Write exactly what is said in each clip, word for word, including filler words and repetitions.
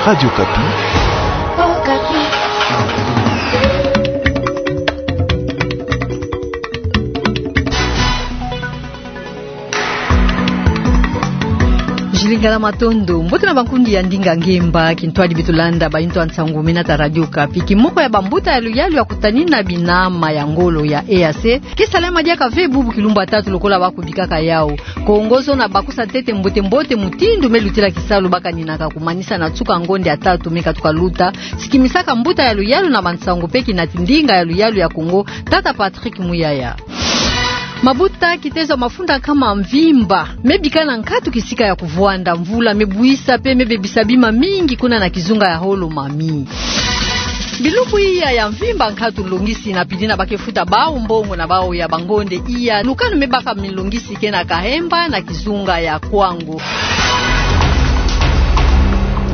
Radio Okapi. Jilingala matondo, mbote na bankundi ya ndinga ngemba, kintwadi beto landa bainto ya nsangu mena ta Radio Okapi. Kimoko ya bambuta ya luyalu ya kutanina binama ya ngolo ya E A C, ke salama diaka ve bubu kilumbu ya tatu lokola bakubikaka yau. Kongo zona bakusa ntete mbote-mbote mutindu me lutila kisalu bakaninaka kumanisa na nsuka ngonde ya tatu me katuka luta, sikimisaka mbuta ya luyalu na bansangu pe kinati ndinga ya luyalu ya Kongo, tata Patrick Muyaya. Mabuta kitezo mafunda nkama mvimba me bika na nkatu kisika ya kuvwanda, mvula me buisa pe me bebisa bima mingi kuna na kizunga ya Holo Mami. Bilumbu iya ya mvimba nkatu longisi na pidina ba ke futa bau mbongo na bau ya bangonde iya. Lukanu me baka milongisi ke na Kahemba na kizunga ya Kwango.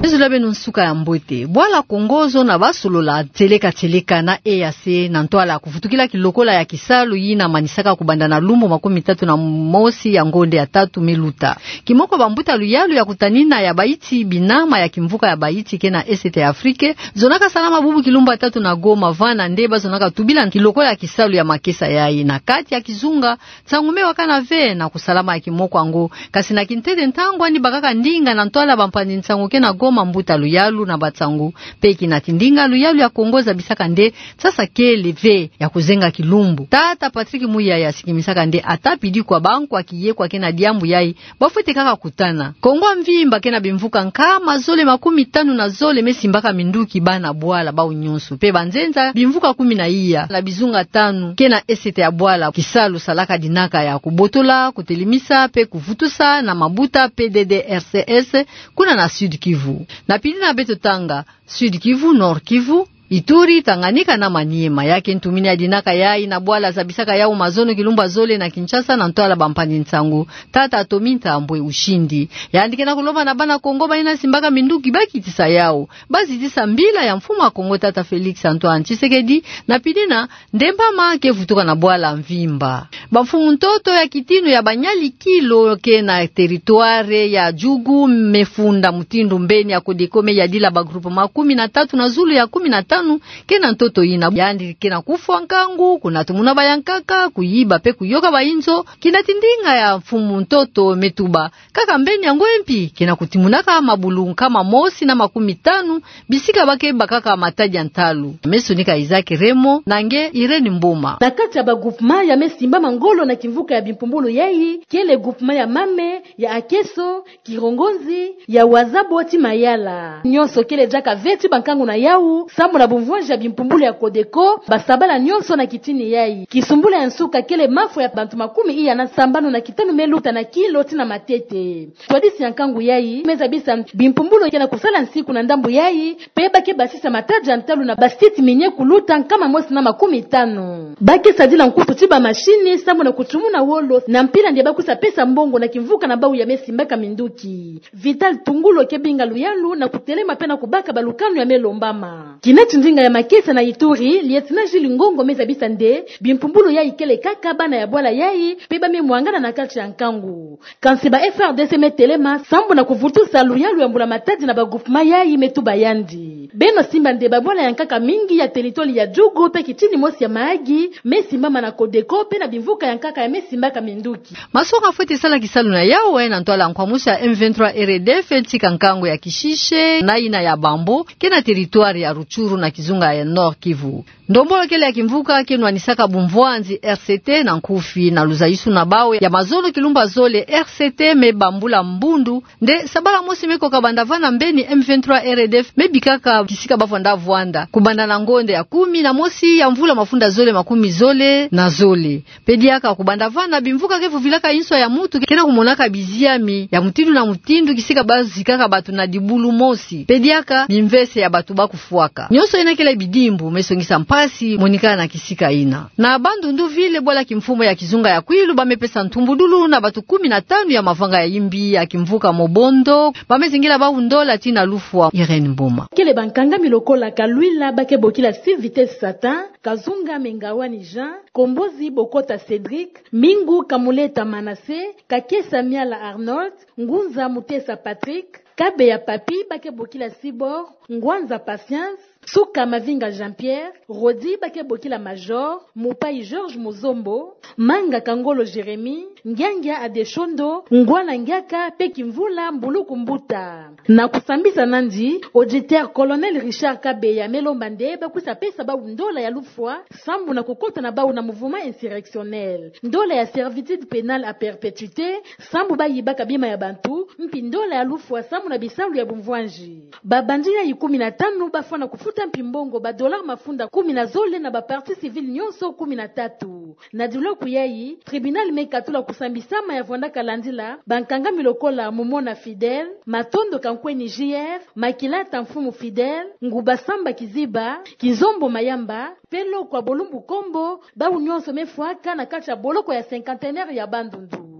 Ezula beno nsuka ya mbote. Bwala Kongo zona basolola tieleka-tieleka na E A C na ntwala kuvutukila kilokola ya kisalu yina manisaka kubanda na lumbu makumi tatu na mosi ya ngonde ya tatu me luta. Kimoko bambuta luyalu ya kutanina ya baiti binama ya kimvuka ya baiti ke na Est ya Afrique, zonaka salama bubu kilumbu ya tatu na Goma, vana nde bazonaka tubila kilokola ya kisalu ya makesa yayi na kati ya kizunga. Nsangu me wakana ve na kusalama ya kimoko yango, kasi na kintete ntangu ani bakaka ndinga na ntwala bampangi nsangu ke na Goma, mbuta luyalu na bansangu pe kinati ndinga luyalu ya Kongo zabisaka nde sasa kele ve ya kuzenga kilumbu. Tata Patrick Muyaya sikimisaka nde ata pidi kwa bankwa kiyekwa ke na diambu yayi, bafwete kaka kutana. Kongo ya mvimba ke na bimvuka nkama zole makumi tanu na zole me simbaka minduki bana bwala bau nyonso pe banzenza bimvuka kumi na iya na bizunga tanu ke na Est ya bwala. Kisalu salaka dinaka ya kubotola, kutelemisa pe kuvutusa na mabuta P D D R C S kuna na Sud-Kivu. Na pidina beto tanga Sud-Kivu, Nord-Kivu, Ituri, Tanganyika na Maniema. Ya ke ntumini ya dinaka yayi na bwala zabisaka yau mazono kilumbu ya zole na Kinshasa na ntwala bampangi nsangu, tata Tommy Ntambwe Ushindi. Yandi ke na kulomba na bana Kongo bayina simbaka minduki bakitisa yau, bazitisa mbila ya mfumu wa Kongo tata Félix Antoine Tshisekedi, na pidina ndembama ke vutuka na bwala mvimba. Bamfumu ntoto ya kitino ya banyali kilo ke na territoire ya Djugu me funda mutindu mbeni ya Codeco me yadila ba groupement kumi na tatu na zulu ya kumi na tanu ke na ntoto yina. Yandi ke na kufwa nkangu, kunatumuna bayankaka, kuyiba pe kuyoka bayinzo. Kinati ndinga ya mfumu ntoto me tuba kaka mbeni yango mpi ke na kutimunaka mabulu nkama mosi na makumi tanu bisika ba ke bakaka matadi ya ntalu. Me sonika Isaac Remo na nge Irène Mboma. Na kati ya ba groupement ya me simbama ngolo na kimvuka ya bimpumbulu yayi, kele groupement ya Mame, ya Akeso, Kirongonzi, ya Wazabo ti Mayala. Nyonso kele diaka ve ti bankangu na yau, sambu na bumvwanzi ya bimpumbulu ya Codeco, basabala nyonso na kitini yayi. Kisumbula ya nsuka kele mafwa ya bantu makumi iya na sambanu na kitanu me luta na kilo ti na matete. Twadisi ya nkangu yayi me zabisa bimpumbulu ke na kusala nsiku na ndambu yayi, pe ba ke basisa matadi ya ntalu na ba site minier kuluta nkama mosi na makumi tanu. Ba ke sadila nkusu ti ba machine sambu na kutumuna wolo na mpila nde ba kusa pesa mbongo na kimvuka na bau ya me simbaka minduki. Vital Tungulo ke binga luyalu na kutelema pe na kubaka balukanu ya me lombama. Kinati ndinga ya makesa na Ituri, lieutenant Jules Ngongo me zabisa nde bimpumbulu yayi kele kaka bana ya bwala yayi, pe ba me mwangana na kati ya nkangu. Kansi ba F A R D C me telema sambu na kuvutusa luyalu ya mbula matadi na ba groupement yayi, me tuba yandi: Beno simba nde babwala ya nkaka mingi ya territoire ya Djugu pe kitini mosi ya Mahagi me simbama na Codeco pe na bimvuka ya nkaka ya me simbaka minduki. Masonga fwete sala kisalu na yau, eh, na ntwala nkwamusu ya M vingt-trois R D F, tika nkangu ya Kishishe, na yina ya Bambo, ke na territoire ya Rutshuru na kizunga ya Nord-Kivu. Ndombolo kele ya kimvuka ke nwanisaka bumvwanzi R C T na nkufi na luzayisu na bau ya mazono kilumbu ya zole. R C T me bambula mbundu nde sabala mosi me koka banda vana mbeni M vingt-trois R D F me bikaka kisika ba vwanda vwanda kubanda na ngonde ya kumi na mosi ya mvula mafunda zole makumi zole na zole. Pe diaka kubanda vana bimvuka ke vuvilaka inswa ya mutu ke na kumonaka biziami ya mutindu na mutindu kisika ba zikaka batu na dibulu mosi. Pe diaka bimvese ya batu ba kufwaka. Nyonso yina kele bidimbu me songisa mpasi monika na kisika yina. Na Bandundu-Ville, bwala kimfumu ya kizunga ya Kwilu ba me pesa ntumbudulu na batu kumi na tanu ya mavanga ya yimbi ya kimvuka Mobondo ba me zingila bau ndola tii na lufwa. Irène Mboma. Kele bankangami lokola Kalwila ba ke bokila Six Vitesse Satan, Kazunga Mengaouani Jean, Kombozi Bokota Cédric, Mingu Kamuleta Manassé, Kakesa Miala Arnold, Ngunza Mutesa Patrick, Kabeya Papy ba ke bokila Cibor, Ngwanza Patience, Suka Mavinga Jean-Pierre, Rodi ba ke bokila Major, Mupayi Georges Muzombo, Manga Kangolo Jérémie, Ngiangia Adeshondo, Ngwana Ngiaka, pe Kimvula Mbuluku Mbuta. Na kusambisa nandi, auditeur Colonel Richard Kabeya me lomba nde ba kwisa pesa bawu ndola ya lufwa sambu na kukota na bawu na mouvement insurrectionnel, ndola ya servitude pénale à perpétuité sambu ba yibaka bima ya bantu, mpi ndola ya lufwa sambu na bisalu ya bumvwanji. Babandi yayi kumi na tanu ba fwana kufuta mpi mbongo ba dollars mafunda kumi na zole na ba parties civiles nyonso kumi na tatu. Na diloku yayi, tribunal me katula kusambisama ya vwandaka landila bankangami lokola Mumona Fidèle, Matondo Kankweni J R, Makilata Mfumu Fidèle, Nguba Samba Kiziba, Kinzombo Mayamba, pe Lokwa Bolumbu Kombo, bawu nyonso me fwaka na kati ya boloko ya cinquantenaire ya Bandundu.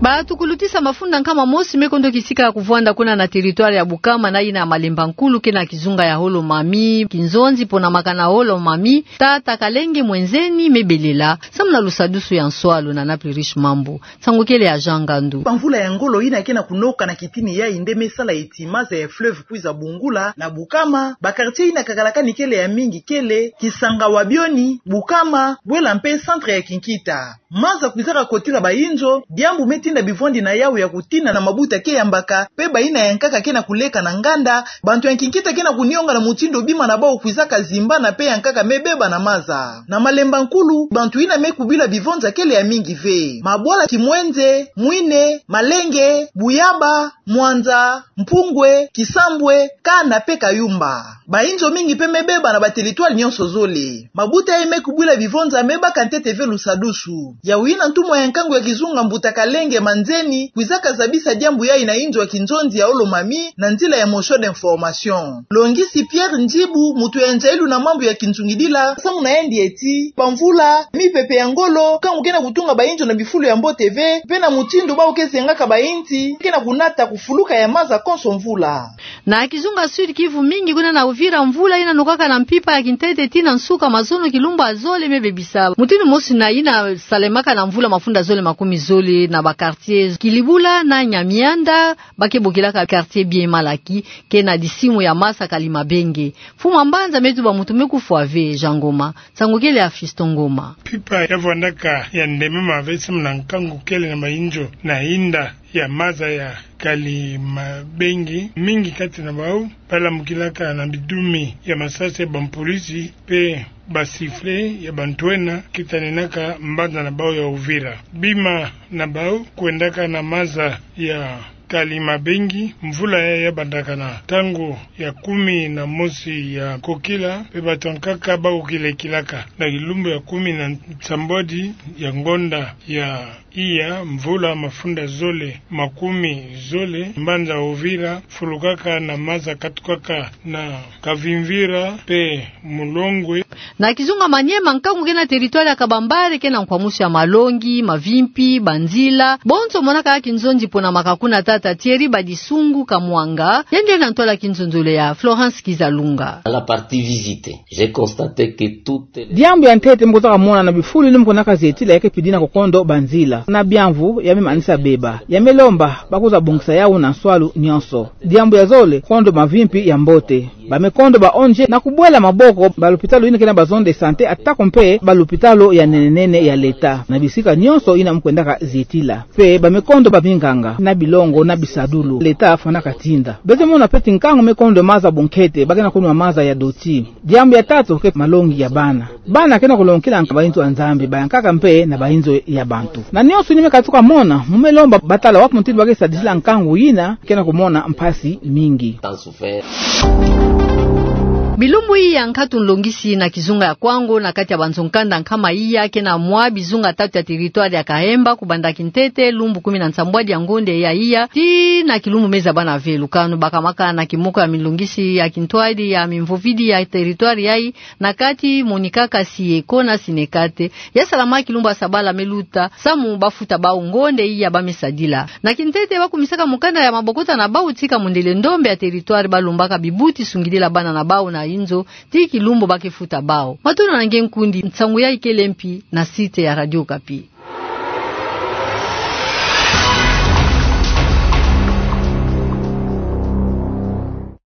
Batukulutisa mafunda nkama mosi me kondo kisika ya kuvwanda kuna na territoire ya Bukama na yina ya Malemba Nkulu, ke na kizunga ya Haut-Lomami, kinzonzi ponamaka na Haut-Lomami, tata Kalenge Mwenzeni me belela samu na lusadusu ya nswalu na Naples Riche Mambu. Nsangu kele ya Jean Ngandu. Bamvula ya ngolo yina ke na kunoka na kitini yayi nde me sala eti maza ya fleuve kwiza bungula na Bukama, ba quartier yina kakalakani kele ya mingi kele Kisanga wa Bioni, Bukama, Bwela mpe centre ya Kinkita. Maza kwizaka kotila bayinzo, diambu me tinda bivwandi na yawu ya kutina na mabuta ke yambaka, pe bayina yankaka ke na kuleka na nganda, bantu ya Kinkita ke na kunionga na mutindu bima na bawu kwizaka zimbana pe yankaka me beba na maza. Na Malemba Nkulu, bantu yina me kubila bivonza kele ya mingi ve. Mabwala Kimwenze, Mwine, Malenge, Buyaba, Mwanza, Mpungwe, Kisambwe, Kana pe Kayumba. Bayinzo mingi pe me beba na ba territoire nyonso zole. Mabuta yayi me kubwila bivonza me baka ntete ve lusadusu. Yawu yina ntumwa ya nkangu ya kizunga mbuta Kalenge Manzeni kwizaka zabisa diambu yayi na inzo ya kinzonzi ya Haut-Lomami na nzila ya motion d'information. Longisi Pierre Njibu, mutu ya nzayilu na mambu ya kinzungidila, samu na yandi eti, bamvula, mipepe ya ngolo, nkangu ke na kutunga bayinzo na bifulu ya mbote ve, pe na mutindu bawu ke zengaka bayinzi, ke na kunata kufuluka ya maza konso mvula. Na kizunga Sud-Kivu mingi kuna na Uvira, mvula yina nokaka na mpimpa ya kintete tii na nsuka mazono kilumbu ya zole me bebisa. Mutindu mosi na yina salemaka na mvula mafunda zole makumi zole na ba quartiers Kilibula na Nyamianda, ba ke bokilaka quartier Biema Laki, ke na disimu ya masa Kalimabenge. Mfumu a mbanza me tuba mutu me kufwa ve, Jean Ngoma. Nsangu kele ya Fiston Ngoma. Mpimpa ya vwandaka ya ndemema ve samu na nkangu kele na mayinzo na yinda ya maza ya Kalimabenge, mingi kati na bawu balamukilaka na bidumi ya masasi ya bampolisi pe ba sifflet ya bantwenya kitaninaka mbanza na bawu ya Uvira. Bima na bawu kwendaka na maza ya Kalimabenge, mvula yayi ya bandaka na ntangu ya kumi na mosi ya kokila, pe bato nkaka bawu kilekilaka na kilumbu ya kumi na nsambwadi ya ngonda ya iya, mvula mafunda zole makumi zole, mbanza Uvira fulukaka na maza katukaka na Kavimvira pe Mulongwe. Na kizunga Maniema, nkangu ke na territoire ya Kabambare ke na nkwamusu ya malongi, mavimpi, banzila. Bonso monaka kinzonzi ponamaka kuna tata Thierry Badisungu Kamwanga, yandi na ntwala kinzonzolo ya Florence Kizalunga. À la partie visitée, j'ai constaté que toutes les... Diambu ya ntete mu kwizaka mona na bifulu yina mu kwendaka zetila ya ke pidina ko kondo banzila. Na biamvu ya me manisa beba. Ya me lomba ba kwiza bongisa yawu na nswalu nyonso. Diambu ya zole, kondo mavimpi ya mbote. Ba me kondo ba O N G na kubwela maboko ba lupitalu yina ke na ba zone de santé, atako mpe ba lupitalu ya nene nene ya leta na bisika nyonso yina mu kwendaka zetila. Mpe ba me kondo ba minganga na bilongo na bisadulu leta fwanaka tinda. Beto mona mpe ti nkangu me kondo maza bunkete, ba ke na kunwa maza ya doti. Diambu ya tatu ke malongi ya bana. Bana ke na kulongokila bayinzo ya Nzambi, bayankaka mpe na bayinzo ya bantu. Na nyonso yina me katuka mona, mu me lomba ba tala wapi mutindu ba ke sadisila nkangu yina ke na kumona mpasi mingi. Bilumbu iya nkatu nlongisi na kizunga ya Kwango, na kati ya banzo nkanda nkama iya, ke na mwa bizunga tatu ya territoire ya Kahemba, kubanda kintete lumbu kumi na nsambwadi ya ngonda ya iya tii na kilumbu me zabana ve. Lukanu bakamaka na kimoko ya minlongisi ya kintwadi ya mimvovidi ya territoire yayi, na kati monikaka Sieko na Sinekate. Ya salama kilumbu ya sabala me luta, samu ba futa bawu ngonda iya ba me sadila. Na kintete ba kumisaka mukanda ya mabokota na bawu tii ka mundele ndombe ya territoire, ba lombaka bibuti sungidila bana na bawu na inzo, tii kilumbu ba ke futa bawu. Matondo na nge nkundi, nsangu yayi kele mpi na site ya Radio Okapi.